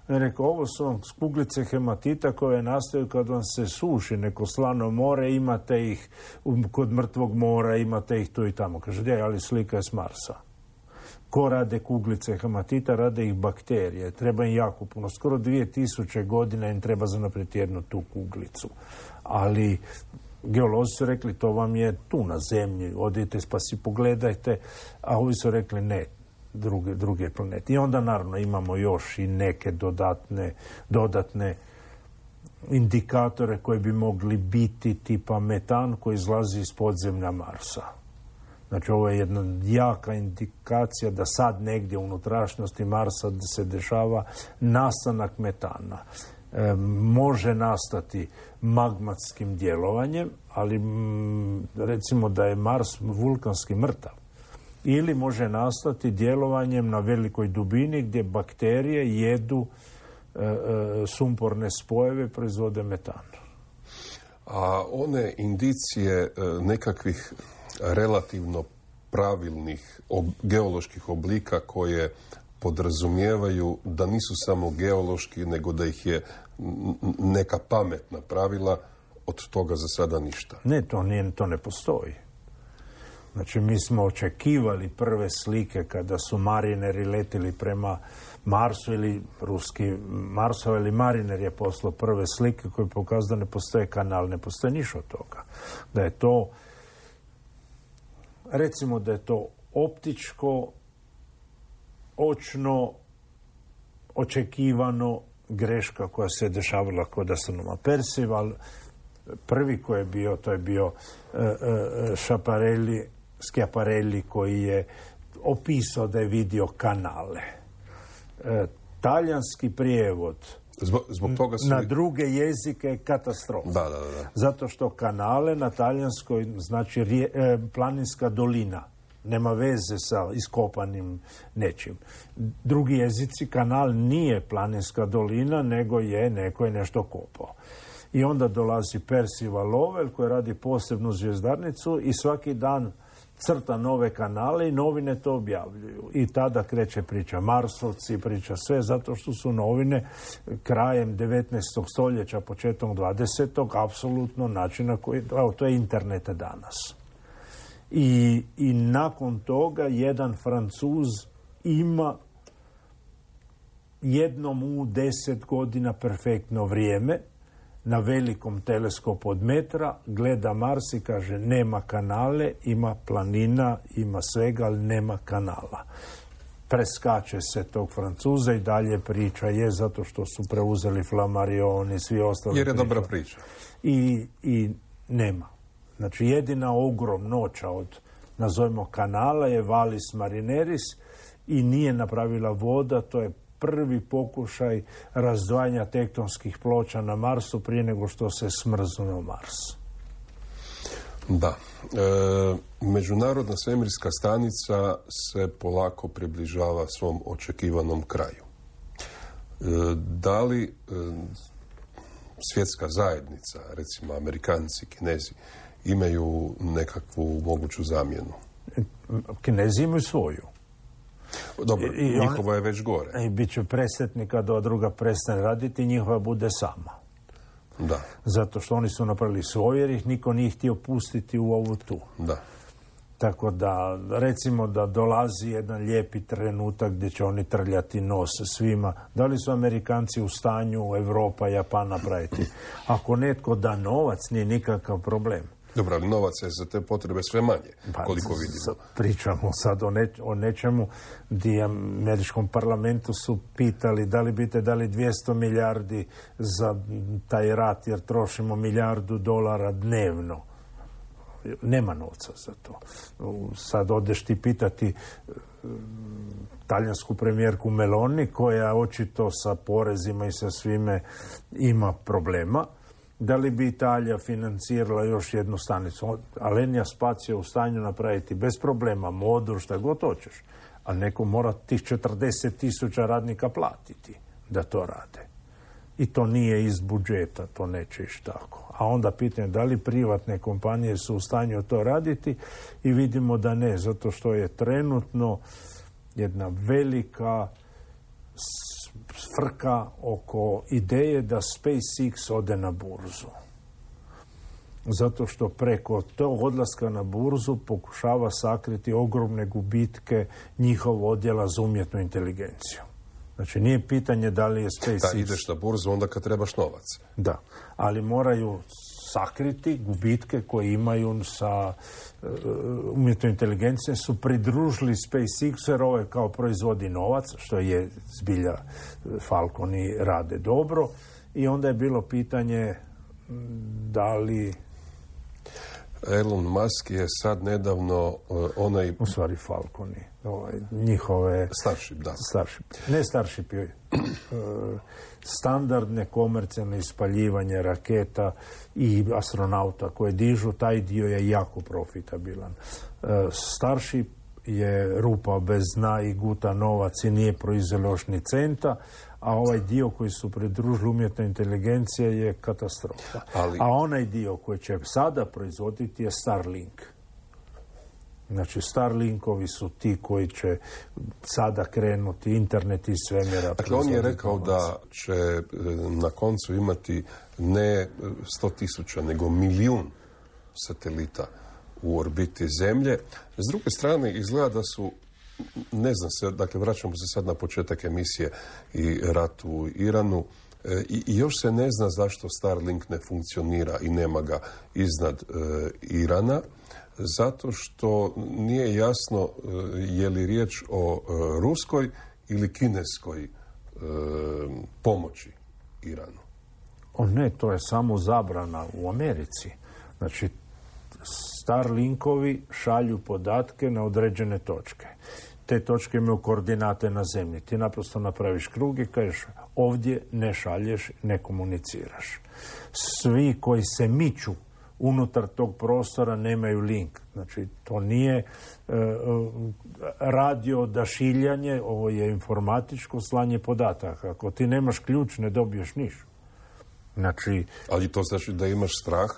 I rekao, ovo su vam kuglice hematita koje nastaju kad vam se suši neko slano more, imate ih kod mrtvog mora, imate ih tu i tamo. Kaže, je, ali slika je s Marsa. Ko rade kuglice hematita, rade ih bakterije. Treba im jako puno. Skoro dvije tisuće godina im treba za naprijed jednu tu kuglicu. Ali geolozi su rekli, to vam je tu na zemlji, odite pa si pogledajte, a ovi su rekli ne, druge, druge planete. I onda naravno imamo još i neke dodatne, dodatne indikatore koji bi mogli biti tipa metan koji izlazi iz podzemlja Marsa. Znači ovo je jedna jaka indikacija da sad negdje u unutrašnjosti Marsa se dešava nastanak metana. E, može nastati magmatskim djelovanjem, ali m, recimo da je Mars vulkanski mrtav. Ili može nastati djelovanjem na velikoj dubini gdje bakterije jedu e, e, sumporne spojeve, proizvode metan. A one indicije e, nekakvih relativno pravilnih ob, geoloških oblika koje podrazumijevaju da nisu samo geološki, nego da ih je neka pamet napravila, od toga za sada ništa. Ne, to, nije, to ne postoji. Znači, mi smo očekivali prve slike kada su marineri letili prema Marsu ili ruski Marsov ili mariner je poslao prve slike koje pokazuju da ne postoje kanal, ne postoje ništa od toga. Da je to, recimo da je to optičko, očno, očekivano greška koja se dešavala kod astronoma Percival. Prvi koji je bio, to je bio uh, uh, Schiaparelli, Schiaparelli koji je opisao da je vidio kanale. Uh, talijanski prijevod Zbog, zbog toga su... na druge jezike je katastrofa. Da, da, da. Zato što kanale na talijanskoj znači rije, eh, planinska dolina. Nema veze sa iskopanim nečim. Drugi jezici, kanal nije planinska dolina, nego je neko je nešto kopao. I onda dolazi Percival Lowell koji radi posebnu zvjezdarnicu i svaki dan crta nove kanale i novine to objavljuju. I tada kreće priča Marsovci, priča sve, zato što su novine krajem devetnaestog stoljeća, početkom dvadesetog apsolutno načina koji, evo, to je internet danas. I, i nakon toga jedan Francuz ima jednom u deset godina perfektno vrijeme na velikom teleskopu od metra, gleda Mars i kaže nema kanale, ima planina, ima svega, ali nema kanala. Preskače se tog Francuza i dalje priča je zato što su preuzeli Flammarion i svi ostali. Jer je priča. dobra priča. I, I nema. Znači jedina ogromnoća od, nazovimo, kanala je Vallis Marineris i nije napravila voda, to je prvi pokušaj razdvajanja tektonskih ploča na Marsu prije nego što se smrznuo Mars. Da. E, Međunarodna svemirska stanica se polako približava svom očekivanom kraju. E, da li e, svjetska zajednica, recimo Amerikanci, Kinezi, imaju nekakvu moguću zamjenu? Kinezi imaju svoju. Dobro, I, i njihova on, je već gore. I bit će presretni kada druga prestane raditi, njihova bude sama. Da. Zato što oni su napravili svoje, jer ih niko nije htio pustiti u ovu tu. Da. Tako da, recimo da dolazi jedan lijepi trenutak gdje će oni trljati nos svima. Da li su Amerikanci u stanju, Europa, Japan napraviti? Ako netko da novac, nije nikakav problem. Dobro, ali novac je za te potrebe sve manje, pa, koliko vidimo. Pričamo sad o, neč, o nečemu gdje američkom parlamentu su pitali da li biste dali dvjesto milijardi za taj rat, jer trošimo milijardu dolara dnevno. Nema novca za to. Sad odeš ti pitati talijansku premijerku Meloni, koja očito sa porezima i sa svime ima problema. Da li bi Italija financirala još jednu stanicu? Alenia Spacio je u stanju napraviti bez problema, modu, šta god hoćeš. Ali neko mora tih četrdeset tisuća radnika platiti da to rade. I to nije iz budžeta, to neće ići tako. A onda pitanje da li privatne kompanije su u stanju to raditi i vidimo da ne, zato što je trenutno jedna velika frka oko ideje da SpaceX ode na burzu. zato što preko tog odlaska na burzu pokušava sakriti ogromne gubitke njihov odjela za umjetnu inteligenciju. Znači, nije pitanje da li je SpaceX... Da, ideš na burzu onda kad trebaš novac. Da, ali moraju sakriti gubitke koje imaju sa uh, umjetnom inteligencijom, su pridružili SpaceX jer ovo je kao proizvodi novac, što je zbilja Falconi rade dobro, i onda je bilo pitanje da li... Elon Musk je sad nedavno uh, onaj... U stvari Falconi, ovaj, njihove... Starship, da. Starship. Ne Starship, je standardne komercijalne ispaljivanje raketa i astronauta koje dižu, taj dio je jako profitabilan. Starship je rupa bez dna i guta novac i nije proizvelo još ni centa, a ovaj dio koji su pridružili umjetna inteligencija je katastrofa. Ali... A onaj dio koji će sada proizvoditi je Starlink. Znači, Starlinkovi su ti koji će sada krenuti internet iz svemira. Dakle, on je rekao da će na koncu imati ne sto tisuća, nego milijun satelita u orbiti Zemlje. S druge strane, izgleda da su, ne znam se, dakle, vraćamo se sad na početak emisije i rat u Iranu, i, i još se ne zna zašto Starlink ne funkcionira i nema ga iznad e, Irana, zato što nije jasno e, je li riječ o e, ruskoj ili kineskoj e, pomoći Iranu. O ne, to je samo zabrana u Americi. Znači, Starlinkovi šalju podatke na određene točke. Te točke imaju koordinate na zemlji. Ti naprosto napraviš krug i kažeš ovdje ne šalješ, ne komuniciraš. Svi koji se miču unutar tog prostora nemaju link. Znači, to nije e, radio odašiljanje, ovo je informatičko slanje podataka. Ako ti nemaš ključ, ne dobiješ niš. Znači, ali to znači da imaš strah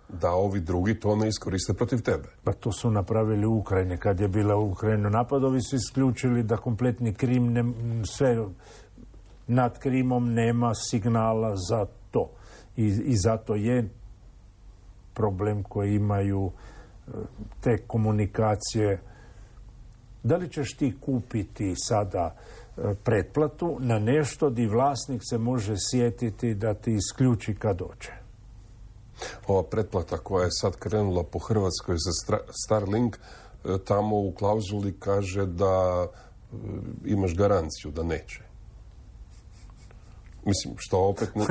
da ovi drugi to ne iskoriste protiv tebe. Pa to su napravili u Ukrajini. Kad je bila u Ukrajinu napad, ovi su isključili da kompletni Krim, ne, sve nad Krimom nema signala za to. I, i zato je problem koji imaju te komunikacije. Da li ćeš ti kupiti sada pretplatu na nešto di vlasnik se može sjetiti da ti isključi kad dođe? Ova pretplata koja je sad krenula po Hrvatskoj za Starlink, tamo u klauzuli kaže da imaš garanciju da neće. Mislim, što opet ne...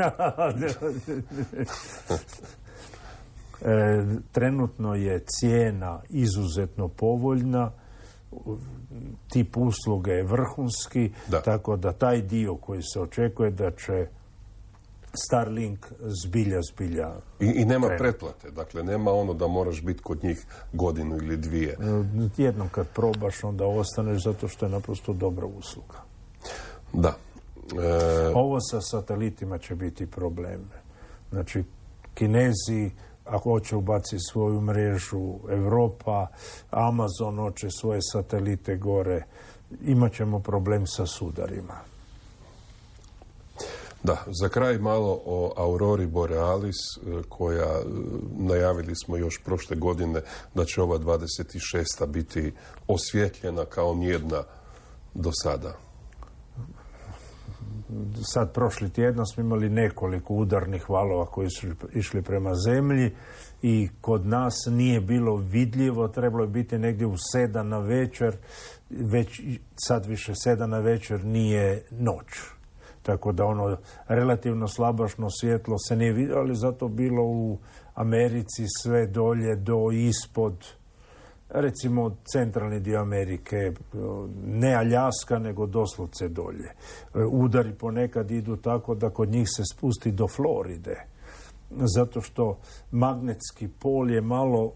e, trenutno je cijena izuzetno povoljna, tip usluge je vrhunski, da. Tako da taj dio koji se očekuje da će Starlink zbilja, zbilja... I, i nema krenu. Pretplate, dakle nema ono da moraš biti kod njih godinu ili dvije. Jednom kad probaš, onda ostaneš zato što je naprosto dobra usluga. Da. E... Ovo sa satelitima će biti problem. Znači, Kinezi, ako hoće ubaciti svoju mrežu, Europa, Amazon hoće svoje satelite gore, imat ćemo problem sa sudarima. Da, za kraj malo o Aurori Borealis, koja najavili smo još prošle godine da će ova dvadeset šesta biti osvjetljena kao nijedna do sada. Sad, prošli tjedan smo imali nekoliko udarnih valova koji su išli prema zemlji i kod nas nije bilo vidljivo, trebalo je biti negdje u sedam na večer, već sad više sedam na večer nije noć. Tako da ono relativno slabašno svjetlo se nije vidjelo, ali zato bilo u Americi sve dolje do ispod, recimo centralni dio Amerike, ne Aljaska, nego doslovce dolje. Udari ponekad idu tako da kod njih se spusti do Floride, zato što magnetski pol je malo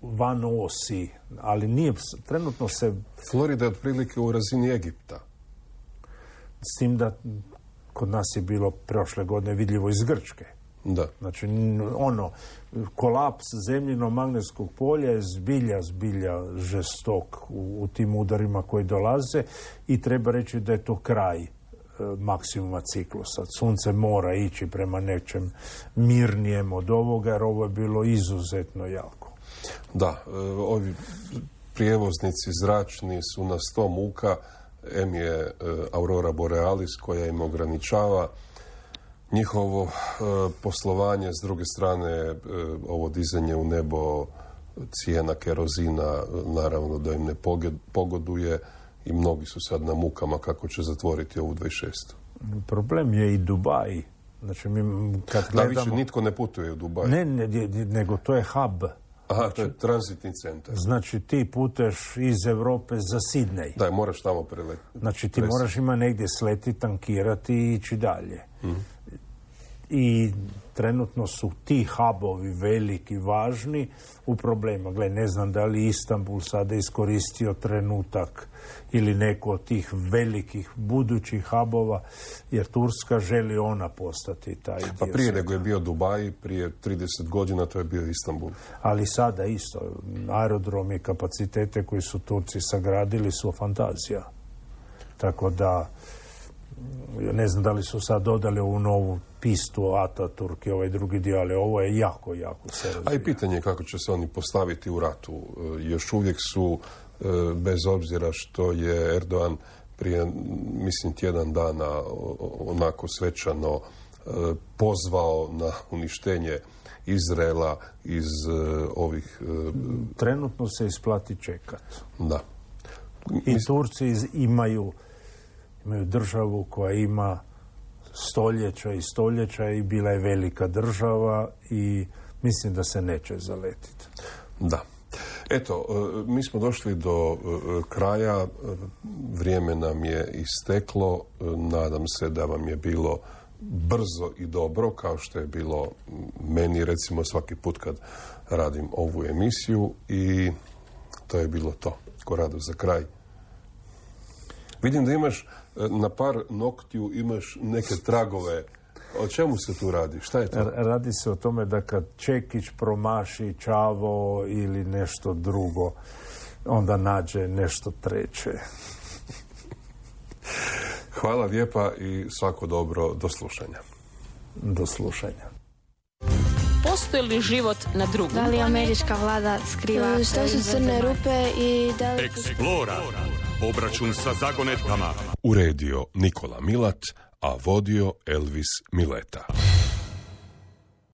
van osi, ali nije, trenutno se... Florida je otprilike u razini Egipta. S tim da kod nas je bilo prošle godine vidljivo iz Grčke. Da. Znači, ono, kolaps zemljinog magnetskog polja je zbilja, zbilja žestok u, u tim udarima koji dolaze i treba reći da je to kraj maksimuma ciklusa. Sunce mora ići prema nečem mirnijem od ovoga, jer ovo je bilo izuzetno jako. Da, ovi prijevoznici zračni su na sto muka. Em je Aurora Borealis koja im ograničava njihovo poslovanje, s druge strane ovo dizanje u nebo cijena kerozina naravno da im ne pogoduje i mnogi su sad na mukama kako će zatvoriti ovu dvadeset šestu. Problem je i Dubai. Znači, mi kad gledamo... Da, više nitko ne putuje u Dubai. Ne, ne, nego to je hub. Aha, znači, to je tranzitni centar. Znači, ti puteš iz Europe za Sidney. Da, moraš tamo preletiti. Znači, ti moraš ima negdje sleti, tankirati i ići dalje. Mm-hmm. I trenutno su ti hubovi veliki, važni u problema. Gle, ne znam da li Istanbul sada iskoristio trenutak ili neko od tih velikih budućih hubova, jer Turska želi ona postati taj dio. Pa prije nego je bio Dubai, prije trideset godina to je bio Istanbul. Ali sada isto, aerodromi i kapacitete koji su Turci sagradili su fantazija. Tako da, ne znam da li su sad dodali ovu novu pistu Ataturk i ovaj drugi dio, ali ovo je jako, jako se razvija. A i pitanje je kako će se oni postaviti u ratu. Još uvijek su, bez obzira što je Erdogan prije, mislim, tjedan dana onako svečano pozvao na uništenje Izraela iz ovih... Trenutno se isplati čekat. Da. I Turci imaju, imaju državu koja ima stoljeća i stoljeća i bila je velika država i mislim da se neće zaletiti. Da. Eto, mi smo došli do kraja, vrijeme nam je isteklo, nadam se da vam je bilo brzo i dobro, kao što je bilo meni, recimo, svaki put kad radim ovu emisiju, i to je bilo to. Korado, za kraj. Vidim da imaš na par noktiju, imaš neke tragove. O čemu se tu radi? Šta je to? Radi se o tome da kad Čekić promaši Čavo ili nešto drugo, onda nađe nešto treće. Hvala lijepa i svako dobro. Do slušanja. Do slušanja. Postoji li život na drugom? Da li američka vlada skriva Što su crne rupe i da li... Explora. Obračun sa zagonetkama. Uredio Nikola Milat, a vodio Elvis Mileta.